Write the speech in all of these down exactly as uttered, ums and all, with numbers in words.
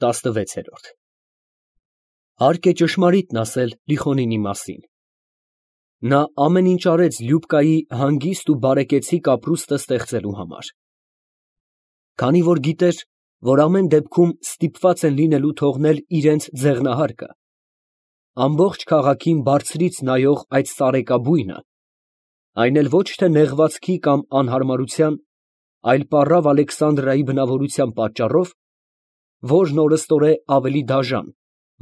տասնվեցերորդ Հարկ է ճշմարիտն ասել Լիխոնինի մասին. նա ամեն ինչ արեց Լյուբկայի հանգիստ ու բարեկեցիկ ապրուստը ստեղծելու համար, քանի որ գիտեր, որ ամեն դեպքում ստիպված են լինելու թողնել իրենց ձեղնահարկը, ամբողջ քաղաքին բարձրից նայող այդ սարեկաբույնը, այն էլ ոչ թե նեղվածքի կամ անհարմարության, այլ պառավ Ալեքսանդրայի բնավորության պատճառով, որն օրըստօրե ավելի դաժան,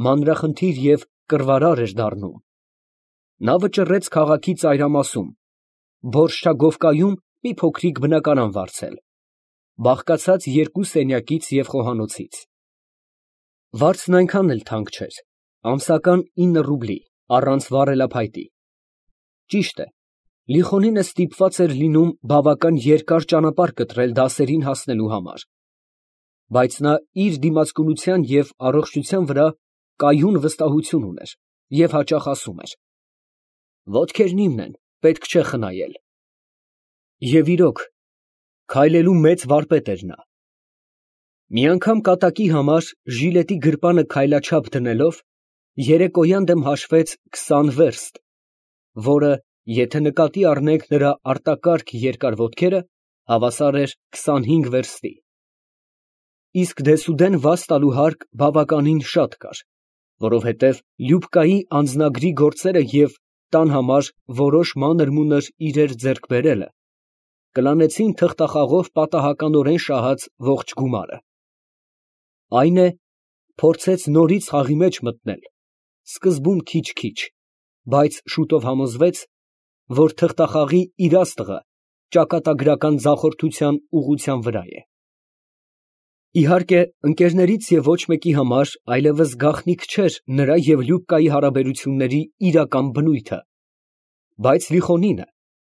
մանրախնդիր և կռվարար էր դառնում, նա վճռեց քաղաքի ծայրամասում, Բորշչագովկայում մի փոքրիկ բնակարան վարձել, բաղկացած երկու սենյակից և խոհանոցից. վարձն այնքան էլ թանկ չէր, ամսական ինը ռուբլի, առանց վառելափայտի. ճիշտ է, Լիխոնինը ստիպված էր լինում բավական երկար ճանապարհ կտրել դասերին հասնելու համար, բայց նա իր դիմացկունության և առողջության վրա կայուն վստահություն ուներ և հաճախ ասում էր. «Ոտքերն իմն են, պետք չէ խնայել»։ Եվ իրոք, քայլելու մեծ վարպետ էր նա։ Մի անգամ կատակի համար ժիլետի գրպանը քայլաչափ դնելով, երեկոյան դեմ հաշվեց քսան վերստ, որը, եթե նկատի առնենք նրա արտակարգ երկար ոտքերը, հավասար էր քսանհինգ վերստի։ Իսկ դեսուդեն վազ տալու հարկ բավականին շատ կար, որովհետև Լյուբկայի անձնագրի գործերը և տան համար որոշ մանր֊մունր իրեր ձեռք բերելը կլանեցին թղթախաղով պատահականորեն շահած ողջ գումարը։ Այն է, փորձեց նորից խաղի մեջ մտնել, սկզբում քիչ֊քիչ, բայց շուտով համոզվեց, որ թղթախաղի իրաստղը ճակատագրական ձախորդության ուղղության վրա է։ Իհարկե, ընկերներից և ոչ մեկի համար այլևս գաղտնիք չէր նրա և Լյուբկայի հարաբերությունների իրական բնույթը, բայց Լիխոնինը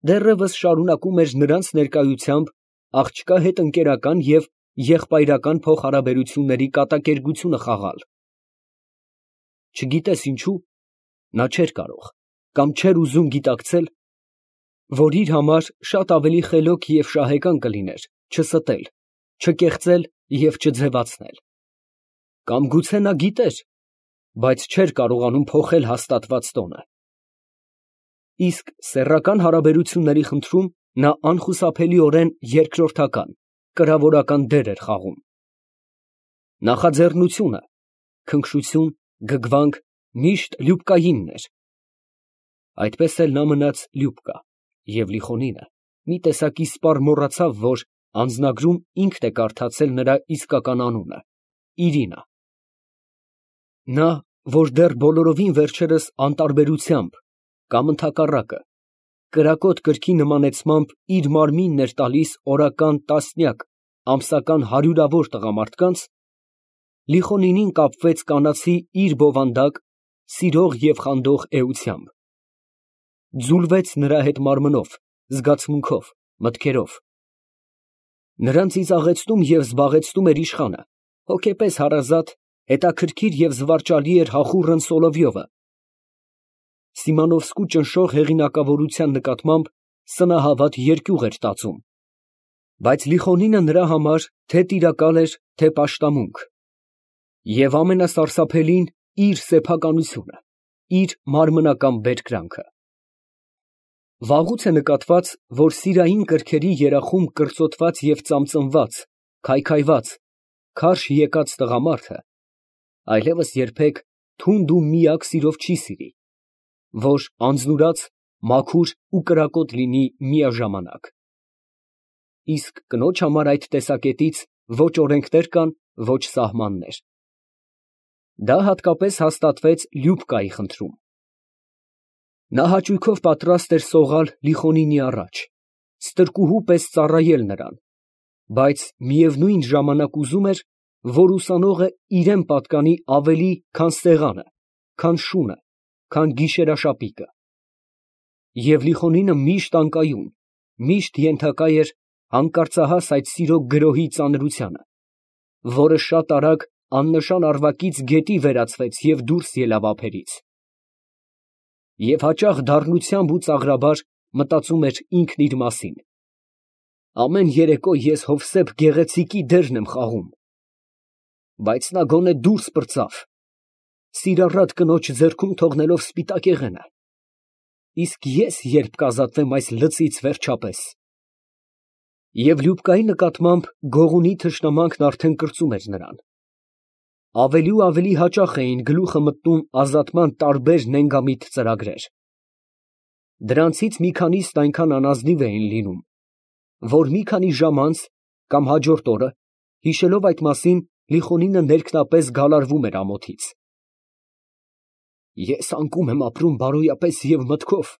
դեռևս շարունակում էր նրանց ներկայությամբ աղջկա հետ ընկերական և եղբայրական փոխհարաբերությունների կատակերգությունը խաղալ։ Չգիտես ինչու, նա չէր կարող կամ չէր ուզում գիտակցել, որ իր համար շատ ավելի խելոք և շահեկան կլիներ չստել, չկեղծել և չձևացնել։ Կամ գուցե նա գիտեր, բայց չէր կարողանում փոխել հաստատված տոնը։ Իսկ սեռական հարաբերությունների խնդրում նա անխուսափելիորեն երկրորդական, կրավորական դեր էր խաղում։ Նախաձեռնությունը, քնքշություն, գգվանք միշտ Լյուբկայինն էր։ Այդպես էլ նա մնաց Լյուբկա, և Լիխոնինը մի տեսակ իսպառ մոռացավ, որ անձնագրում ինքն է կարդացել նրա իսկական անունը՝ Իրինա։ Նա, որ դեռ բոլորովին վերջերս անտարբերությամբ կամ ընդհակառակը կրակոտ կրքի նմանեցմամբ իր մարմինն էր տալիս օրական տասնյակ, ամսական հարյուրավոր տղամարդկանց, Լիխոնինին կապվեց կանացի իր բովանդակ, սիրող և խանդող էությամբ, ձուլվեց նրա հետ մարմնով, զգացմունքով, մտքերով։ Նրան ծիծաղեցնում և զբաղեցնում էր իշխանը, հոգեպես հարազատ, հետաքրքիր և զվարճալի էր Հախուռն Սոլովյովը, Սիմոնովսկու ճնշող հեղինակավորության նկատմամբ սնահավատ երկյուղ էր տածում, բայց Լիխոնինը նրա համար թե տիրակալ էր, թե պաշտամունք, և ամենասարսափելին իր սեփականությունը, իր մարմնական բերկրանքը։ Վաղուց է նկատված, որ սիրային կրքերի երախում կրծոտված և ծամծմված, քայքայված, քարշ եկած տղամարդը այլևս երբեք թունդ ու միակ սիրով չի սիրի, որ անձնուրաց, մաքուր ու կրակոտ լինի միաժամանակ։ Իսկ կնոջ համար այդ տեսակետից ոչ օրենքներ կան, ոչ սահմաններ։ Դա հատկապես հաստատվեց Լյուբկայի խնդրում։ Նա հաճույքով պատրաստ էր սողալ Լիխոնինի առաջ, ստրկուհու պես ծառայել նրան, բայց միևնույն ժամանակ ուզում էր, որ ուսանողը իրան պատկանի ավելի, քան սեղանը, քան շունը, քան գիշերաշապիկը։ Եվ Լիխոնինը միշտ անկայուն, միշտ ենթակա էր հանկարծահաս այդ սիրո գրոհի ծանրությանը, որը շատ արագ աննշան առվակից գետի վերածվեց և դուրս ելավ ափերից։ Եվ հաճախ դառնությամբ ու ծաղրաբար մտածում էր ինքն իր մասին. ամեն երեկո ես Հովսեփ Գեղեցիկի դերն եմ խաղում։ բայց նա գոնե դուրս պրծավ, սիրառատ կնոջ ձեռքում թողնելով սպիտակ եղենը, իսկ ես երբ կազատվեմ այս լծից վերջապես… Եվ Լյուբկայի նկատմամբ գողունի թշնամանքն արդեն կրծում էր նրան. ավելի ու ավելի հաճախ էին գլուխը մտնում ազատման տարբեր նենգամիտ ծրագրեր. դրանցից մի քանիսն այնքան անազնիվ էին լինում, որ մի քանի ժամ անց կամ հաջորդ օրը, հիշելով այդ մասին, Լիխոնինը ներքնապես գալարվում էր ամոթից։ Ես անկում եմ ապրում բարոյապես և մտքով,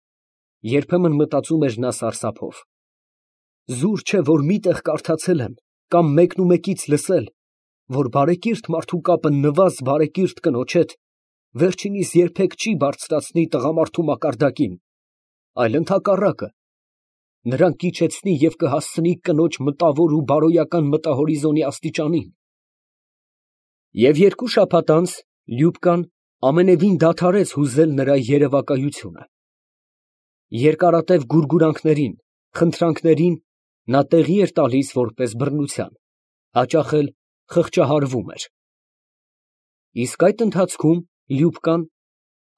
երբեմն մտածում էր նա սարսափով։ Զուր չէ, որ միտեղ կարդացել եմ կամ մեկնումեկից լսել, որ բարեկիրթ մարդու կապը նվազ բարեկիրթ կնոջ հետ վերջինիս երբեք չի բարձրացնի տղամարդու մակարդակին, այլ ընդհակառակը, նրան կիջեցնի և կհասցնի կնոջ մտավոր ու բարոյական մտահորիզոնի աստիճանին։ Եվ երկու շաբաթ անց Լյուբկան ամենևին դադարեց հուզել նրա երևակայությունը։ Երկարատև գուրգուրանքներին, խնդրանքներին նա տեղի էր տալիս որպես բռնության, հաճախ էլ խղճահարվում էր։ Իսկ այդ ընթացքում Լյուբկան,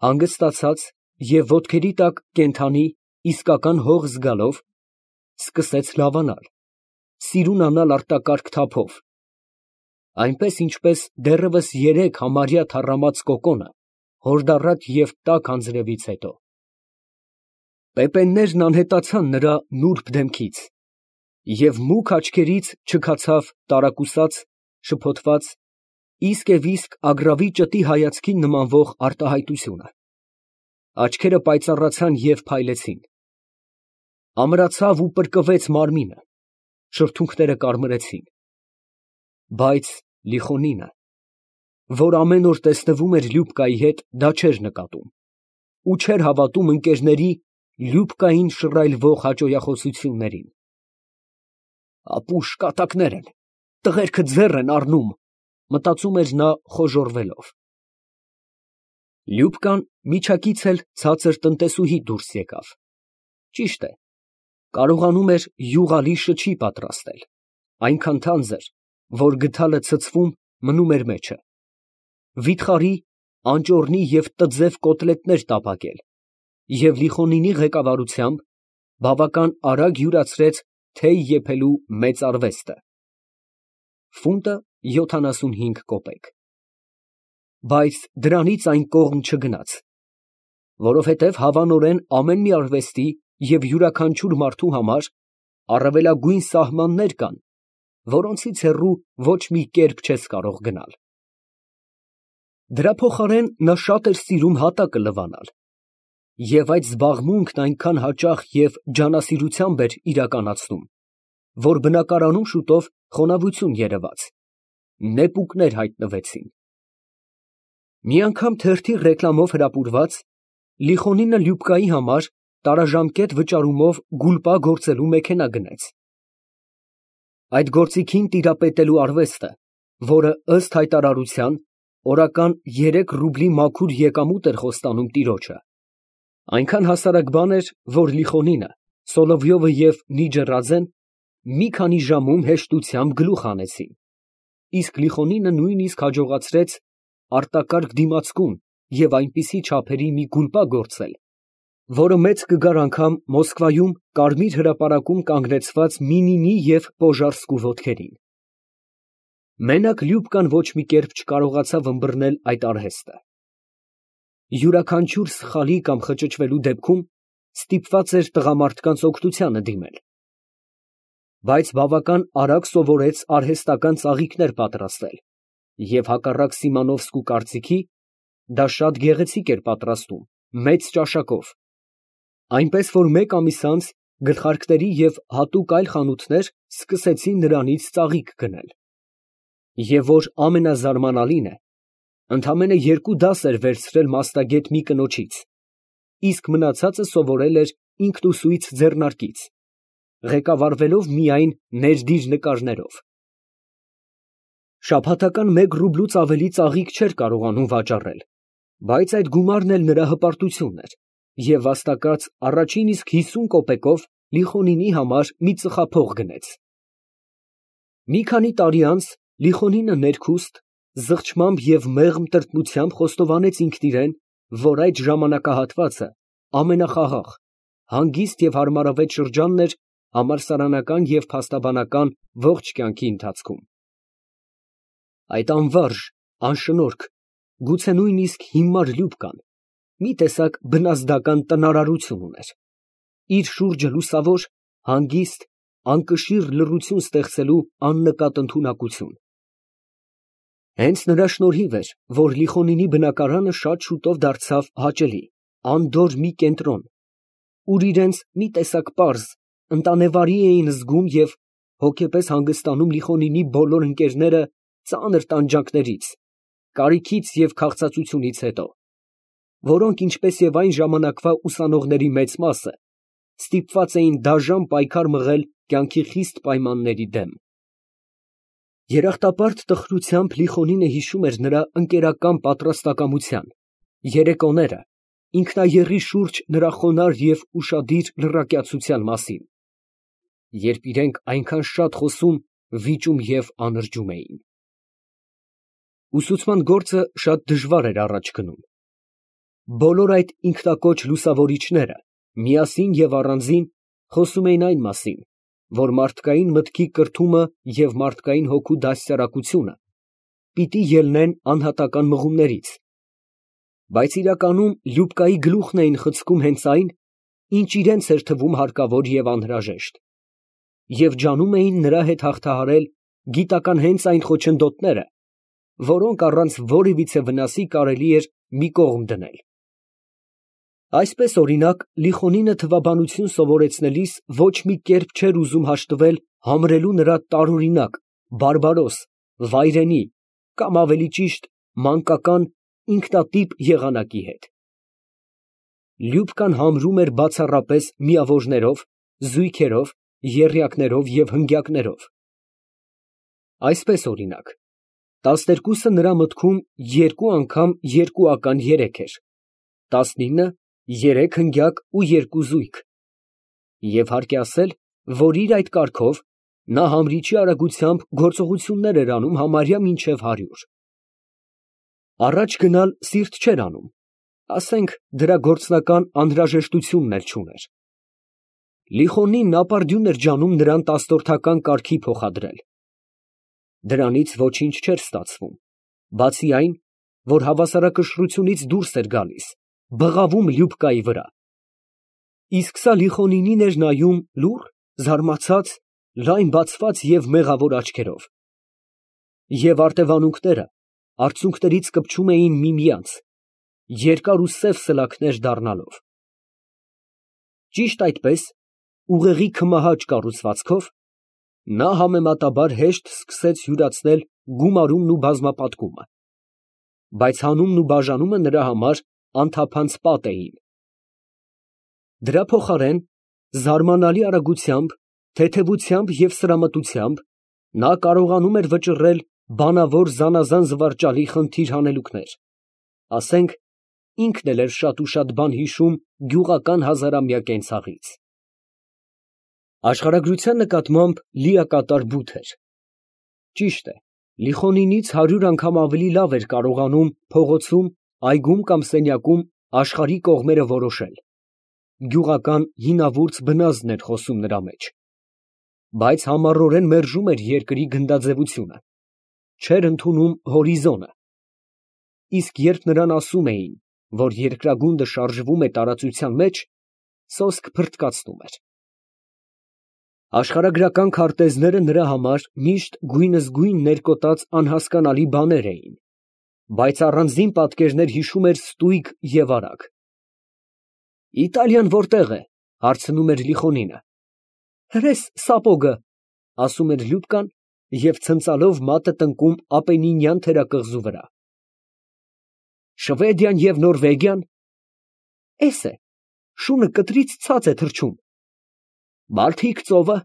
հանգստացած և ոտքերի տակ կենդանի, իսկական հող զգալով, սկսեց լավանալ, սիրունանալ արտակարգ թափով, այնպես, ինչպես դեռևս երեկ համարյա թառամած կոկոնը հորդառատ և տաք անձրևից հետո։ Պեպեններն անհետացան նրա նուրբ դեմքից, և մուգ աչքերից չքացավ տարակուսած, շփոթված, իսկ և իսկ ագռավի ճտի հայացքին նմանվող արտահայտությունը. աչքերը պայծառացան և փայլեցին, ամրացավ ու պրկվեց մարմինը, շրթունքները կարմրեցին, բայց Լիխոնինը, որ ամեն օր տեսնվում էր Լյուբկայի հետ, դա չէր նկատում ու չէր հավատում ընկերների Լյուբկային շռայլվող հաճոյախոսություններին։ Ապուշ կատակներ են, տղերքը ձեռ են առնում, մտածում էր նա խոժոռվելով։ Լյուբկան միջակից էլ ցածր տնտեսուհի դուրս եկավ։ Ճիշտ է, կարողանում էր յուղալի շչի պատրաստել, այնքան թանձր, որ գդալը ցցվում, մնում էր մեջը, վիթխարի, անճոռնի և տձև կոտլետներ տապակել և Լիխոնինի ղեկավարությամբ բավական արագ յուրացրեց թեյ եփելու մեծ արվեստը։ Ֆունտը յոթանասունհինգ կոպեկ։ Բայց դրանից այն կողմ չգնաց, որովհետև հավանորեն ամեն մի արվեստի և յուրաքանչյուր մարդու համար առավելագույն սահմաններ կան, որոնցից հեռու ոչ մի կերպ չես կարող գնալ։ Դրա փոխարեն նա շատ էր սիրում հատակը լվանալ, և այդ զբաղմունքն այնքան հաճախ և ջանասիրությամբ էր իրականացնում, որ բնակարանում շուտով խոնավություն երևաց, նեպուկներ հայտնվեցին։ Մի անգամ թերթի ռեկլամով հրապուրված, Լիխոնինը Լյուբկայի համար տարաժամկետ վճարումով գուլպա գործելու մեքենա գնեց։ Այդ գործիքին տիրապետելու արվեստը, որը ըստ հայտարարության օրական երեք ռուբլի մաքուր եկամուտ էր խոստանում տիրոջը, այնքան հասարակ բան էր, որ Լիխոնինը, Սոլովյովը և Նիջեռաձեն մի քանի ժամում հեշտությամբ գլուխ հանեցին, իսկ Լիխոնինը նույնիսկ հաջողացրեց արտակարգ դիմացկուն և այնպիսի չափերի մի գուլպա գործել, որը մեծ կգար անգամ Մոսկվայում Կարմիր հրապարակում կանգնեցված Մինինի և Պոժարսկու ոտքերին։ Մենակ Լյուբկան ոչ մի կերպ չկարողացավ ըմբռնել այդ արհեստը։ Յուրաքանչյուր սխալի կամ խճճվելու դեպքում ստիպված էր տղամարդկանց օգնությանը դիմել, բայց բավական արագ սովորեց արհեստական ծաղիկներ պատրաստել և հակառակ Սիմոնովսկու կարծիքի, դա շատ գեղեցիկ էր պատրաստում, մեծ ճաշակով, այնպես որ մեկ ամիս անց գլխարկների և հատուկ այլ խանութներ սկսեցին նրանից ծաղիկ գնել, և որ ամենազարմանալին է, ընդամենը երկու դաս էր վերցրել մասնագետ մի կնոջից, իսկ մնացածը սովորել էր ինքնուսույց ձեռնարկից, ղեկավարվելով միայն ներդիր նկարներով։ Շաբաթական մեկ ռուբլուց ավելի ծաղիկ չէր կարողանում վաճառել, բայց այդ գումարն էլ նրա հպարտությունն էր, և վաստակած առաջին իսկ հիսուն կոպեկով Լիխոնինի համար մի ծխափող գնեց։ Մի քանի տարի անց Լիխոնինը ներքուստ, Զղջմամբ և մեղմ տրտմությամբ խոստովանեց ինքն իրան, որ այդ ժամանակահատվածը ամենախաղաղ, հանգիստ և հարմարավետ շրջանն էր համալսարանական և փաստաբանական ողջ կյանքի ընթացքում։ Այդ անվարժ, անշնորհք, գուցե նույնիսկ հիմար Լյուբկան մի տեսակ բնազդական տնարարություն ուներ, իր շուրջը լուսավոր, հանգիստ, անկշիռ լռություն ստեղծելու աննկատ ընդունակություն։ Հենց նրա շնորհիվ էր, որ Լիխոնինի բնակարանը շատ շուտով դարձավ հաճելի, անդորր մի կենտրոն, ուր իրենց մի տեսակ պարզ, ընտանեվարի էին զգում և հոգեպես հանգստանում Լիխոնինի բոլոր ընկերները ծանր տանջանքներից, կարիքից և քաղցածությունից հետո, որոնք, ինչպես և այն ժամանակվա ուսանողների մեծ մասը, ստիպված էին դաժան պայքար մղել կյանքի խիստ պայմանների դեմ։ Երախտապարտ տխրությամբ Լիխոնինը հիշում էր նրա ընկերական պատրաստակամության երեկոները, ինքնաեռի շուրջ նրա խոնարհ և ուշադիր լրակյացության մասին, երբ իրենք այնքան շատ խոսում, վիճում և անրջում էին։ Ուսուցման գործը շատ դժվար էր առաջ գնում։ Բոլոր այդ ինքնակոչ լուսավորիչները միասին և առանձին խոսում էին այն մասին, որ մարդկային մտքի կրթումը և մարդկային հոգու դաստիարակությունը պիտի ելնեն անհատական մղումներից, բայց իրականում Լյուբկայի գլուխն էին խցկում հենց այն, ինչ իրենց էր թվում հարկավոր և անհրաժեշտ, և ջանում էին նրա հետ հաղթահարել գիտական հենց այն խոչընդոտները, որոնք առանց որևիցե վնասի կարելի էր մի կողմ դնել։ Այսպես, օրինակ, Լիխոնինը թվաբանություն սովորեցնելիս ոչ մի կերպ չէր ուզում հաշտվել համրելու նրա տարօրինակ, բարբարոս, վայրենի կամ, ավելի ճիշտ, մանկական, ինքնատիպ եղանակի հետ։ Լյուբկան համրում էր բացառապես միավորներով, զույգերով, եռյակներով և հնգյակներով։ Այսպես, օրինակ, տասներկուսը նրա մտքում երկու անգամ երկուական երեք էր, տասնինը երեք հնգյակ ու երկու զույգ, և հարկ է ասել, որ իր այդ կարգով նա համրիչի արագությամբ գործողություններ էր անում համարյա մինչև հարյուր։ Առաջ գնալ սիրտ չէր անում, ասենք դրա գործնական անհրաժեշտությունն էլ չուներ։ Լիխոնինն ապարդյուն էր ջանում նրան տասնորդական կարգի փոխադրել։ Դրանից ոչինչ չէր ստացվում, բացի այն, որ հավասարակշռությունից դուրս էր գալիս, բղավում Լյուբկայի վրա։ Իսկ սա Լիխոնինին էր նայում լուռ, զարմացած, լայն բացված և մեղավոր աչքերով։ Եվ արտևանունքները արցունքներից կպչում էին միմյանց, երկար ու սև սլաքներ դառնալով։ Ճիշտ այդպես, ուղեղի քմահաճ կառուցվածքով, նա համեմատաբար հեշտ սկսեց յուրացնել գումարումն ու բազմապատկումը, բայց հանումն ու բաժանումը նրա համար անթափանց պատ էին։ Դրա փոխարեն, զարմանալի արագությամբ, թեթևությամբ և սրամտությամբ նա կարողանում էր վճռել բանավոր զանազան զվարճալի խնդիր հանելուկներ, ասենք, ինքն էլ էր շատ ու շատ բան հիշում գյուղական հազարամյա կենցաղից։ Աշխարհագրության նկատմամբ լիակատար բութ էր։ Ճիշտ է, Լիխոնինից հարյուր անգամ ավելի լավ էր կարողանում փողոցում, այգում կամ սենյակում աշխարհի կողմերը որոշել, գյուղական հինավուրց բնազդն էր խոսում նրա մեջ, բայց համառորեն մերժում էր երկրի գնդաձևությունը, չէր ընդունում հորիզոնը, իսկ երբ նրան ասում էին, որ երկրագունդը շարժվում է տարածության մեջ, սոսկ փռթկացնում էր։ Աշխարհագրական քարտեզները նրա համար միշտ գույնզգույն ներկոտած անհասկանալի բաներ էին, բայց առանձին պատկերներ հիշում էր ստույգ և արագ։ «Իտալիան որտե՞ղ է», հարցնում էր Լիխոնինը։ «Հրես Սապոգը», ասում էր Լյուբկան և ցնծալով մատը տնկում Ապենինյան թերակղզու վրա։ «Շվեդիան և Նորվեգիան»։ «Էս է, շունը կտրից ցած է թռչում»։ «Բալթիկ ծովը»։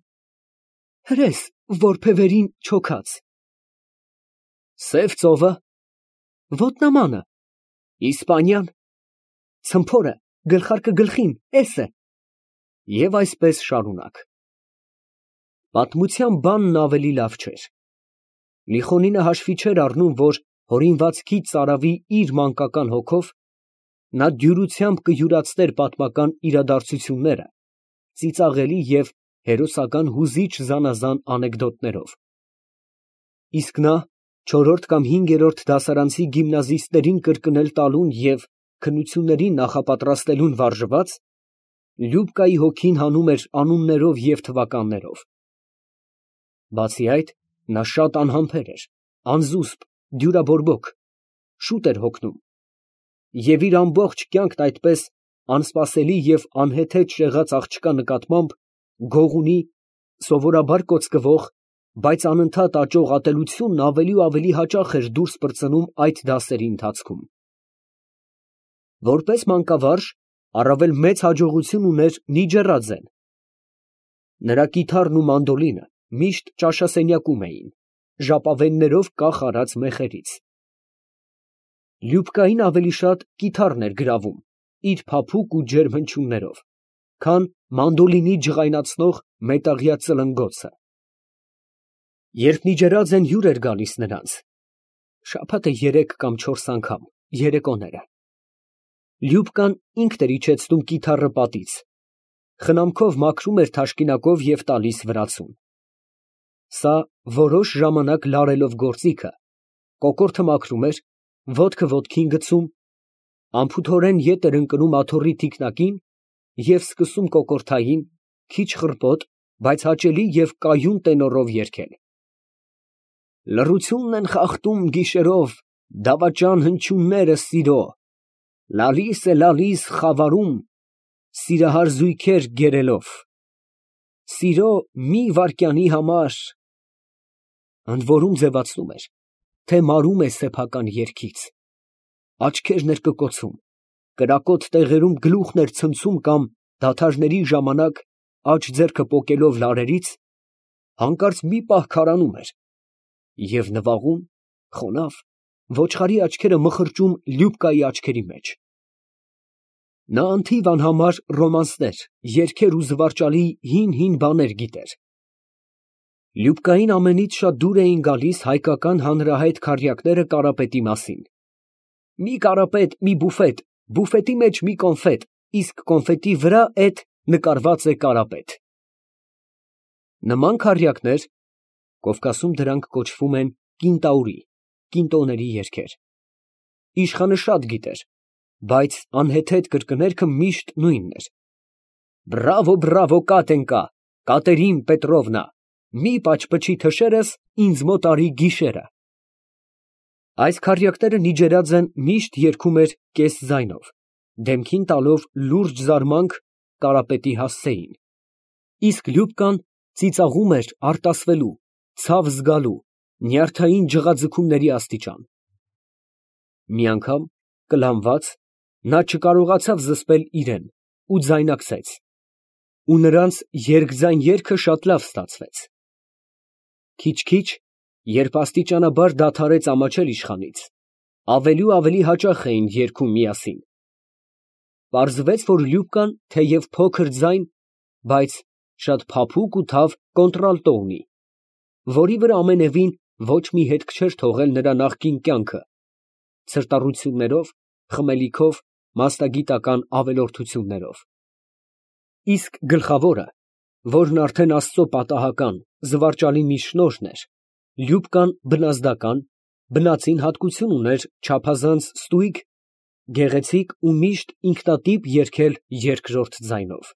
«Հրես, որբևերին չոքած»։ «Սև ծովը»։ «Ոտնամանը»։ «Իսպանիան»։ «Ցմփորը, գլխարկը գլխին, էս է»։ Եվ այսպես շարունակ։ Պատմության բանն ավելի լավ չէր։ Լիխոնինը հաշվի չէր առնում, որ հորինվածքից ծարավի իր մանկական հոգով, նա դյուրությամբ կյուրացներ պատմական իրադարձությունները, ծիծաղելի և հերոսական հուզիչ զանազան անեկդոտներով, իսկ նա չորրորդ կամ հինգերորդ դասարանցի գիմնազիստներին կրկնել տալուն և քննություններին նախապատրաստելուն վարժված, Լյուբկայի հոգին հանում էր անուններով և թվականներով. բացի այդ, նա շատ անհամբեր էր, անզուսպ, դյուրաբորբոք, շուտ էր հոգնում, և իր ամբողջ կյանքն այդպես անսպասելի և անհեթեթ շեղած աղջկա նկատմամբ գողունի, սովորաբար կոծկվող, բայց անընդհատ աճող ատելությունն ավելի ու ավելի հաճախ էր դուրս պրծնում այդ դասերի ընթացքում։ Որպես մանկավարժ առավել մեծ հաջողություն ուներ Նիջեռաձեն. նրա կիթառն ու մանդոլինը միշտ ճաշասենյակում էին, ժապավեններով կախ արած մեխերից։ Լյուբկային ավելի շատ կիթառն էր գրավում, իր փափուկ ու ջերմ հնչյուններով, քան մանդոլինի ջղայնացնող մետաղյա ծլնգոցը։ Երբ Նիջեռաձեն հյուր էր գալիս նրանց (շաբաթը երեք կամ չորս անգամ, երեկոները), Լյուբկան ինքն էր իջեցնում կիթառը պատից, խնամքով մաքրում էր թաշկինակով և տալիս վրացուն։ Սա որոշ ժամանակ լարելով գործիքը, կոկորդը մաքրում էր, ոտքը ոտքին գցում, անփութորեն ետ էր ընկնում աթոռի թիկնակին և սկսում կոկորդային, քիչ խռպոտ, բայց հաճելի և կայուն տենորով երգել. Լռությունն են խախտում գիշերով դավաճան հնչյունները սիրո, լալիս է լալիս խավարում, սիրահար զույգեր գերելով, սիրո մի վայրկյանի համար… Ընդ որում ձևացնում էր, թե մարում է սեփական երգից, աչքերն էր կկոցում, կրակոտ տեղերում գլուխն էր ցնցում կամ դադարների ժամանակ, աջ ձեռքը պոկելով լարերից, հանկարծ մի պահ քարանում էր և նվաղում, խոնավ, ոչխարի աչքերը մխրճում Լյուբկայի աչքերի մեջ… Նա անթիվ անհամար ռոմանսներ, երգեր ու զվարճալի հին֊հին բաներ գիտեր։ Լյուբկային ամենից շատ դուր էին գալիս հայկական հանրահայտ քառյակները Կարապետի մասին. մի կարապետ, մի բուֆետ, բուֆետի մեջ մի կոնֆետ, իսկ կոնֆետի վրա էդ նկարված է Կարապետ… Նման քառյակներ (Կովկասում դրանք կոչվում են կինտաուրի, կինտոների երգեր) իշխանը շատ գիտեր, բայց անհեթեթ կրկներքը միշտ նույնն էր. Բրավո, բրավո, Կատենկա, Կատերին Պետրովնա, մի պաչպչի թշերս, ինձ մոտ արի գիշերը… Այս քառյակները Նիջեռաձեն միշտ երգում էր կես֊ձայնով, դեմքին տալով լուրջ զարմանք Կարապետի հասցեին, իսկ Լյուբկան ծիծաղում էր արտասվելու, ցավ զգալու, նյարդային ջղաձգումների աստիճան… Մի անգամ, կլանված, նա չկարողացավ զսպել իրան ու ձայնարկեց, ու նրանց երկձայն երգը շատ լավ ստացվեց… Քիչ֊քիչ, երբ աստիճանաբար դադարեց ամաչել իշխանից, ավելի ու ավելի հաճախ էին երգում միասին… Պարզվեց, որ Լյուբկան թեև փոքր ձայն, բայց շատ փափուկ ու թավ կոնտրալտո ունի, որի վրա ամենևին ոչ մի հետք չէր թողել նրա նախկին կյանքը ցրտառություններով, խմելիքով, մասնագիտական ավելորդություններով… Իսկ գլխավորը, որն արդեն աստծո պատահական, զվարճալի մի շնորհն էր, Լյուբկան բնազդական, բնածին հատկություն ուներ չափազանց ստույգ, գեղեցիկ ու միշտ ինքնատիպ երգել երկրորդ ձայնով։